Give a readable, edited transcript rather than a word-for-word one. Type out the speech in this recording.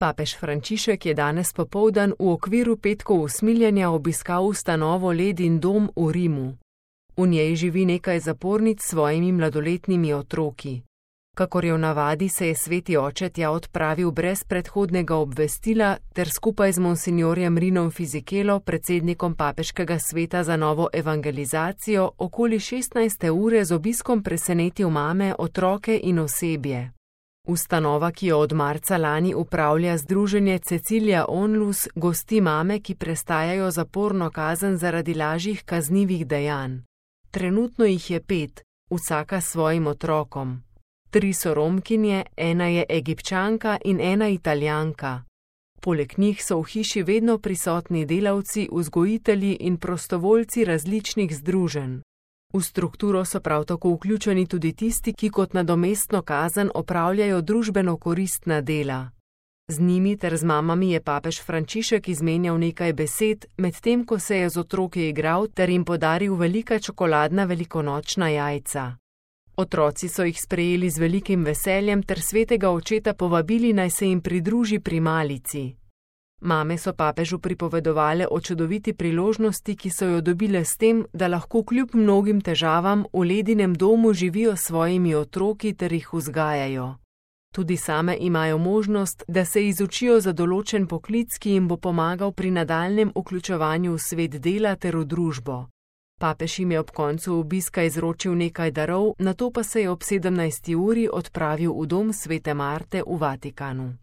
Papež Frančišek je danes popoldan v okviru petkov usmiljenja obiskal ustanovo Ledin dom v Rimu. V njej živi nekaj zapornic s svojimi mladoletnimi otroki. Kakor je v navadi, se je sveti oče tja odpravil brez predhodnega obvestila ter skupaj z monsinjorjem Rinom Fisichelo, predsednikom papeškega sveta za novo evangelizacijo, okoli 16. ure z obiskom presenetil mame, otroke in osebje. Ustanova, ki jo od marca lani upravlja združenje Cecilia Onlus, gosti mame, ki prestajajo zaporno kazen zaradi lažjih kaznivih dejanj. Trenutno jih je 5, vsaka s svojim otrokom. 3 so Romkinje, 1 je Egipčanka in 1 Italijanka. Poleg njih so v hiši vedno prisotni delavci, vzgojitelji in prostovoljci različnih združenj. V strukturo so prav tako vključeni tudi tisti, ki kot nadomestno kazen opravljajo družbeno koristna dela. Z njimi ter z mamami je papež Frančišek izmenjal nekaj besed, medtem ko se je z otroki igral ter jim podaril velika čokoladna velikonočna jajca. Otroci so jih sprejeli z velikim veseljem ter svetega očeta povabili, naj se jim pridruži pri malici. Mame so papežu pripovedovale o čudoviti priložnosti, ki so jo dobile s tem, da lahko kljub mnogim težavam v Ledinem domu živijo s svojimi otroki ter jih vzgajajo. Tudi same imajo možnost, da se izučijo za določen poklic, ki jim bo pomagal pri nadaljnjem vključevanju v svet dela ter v družbo. Papež jim je ob koncu obiska izročil nekaj darov, nato pa se je ob 17. uri odpravil v dom svete Marte v Vatikanu.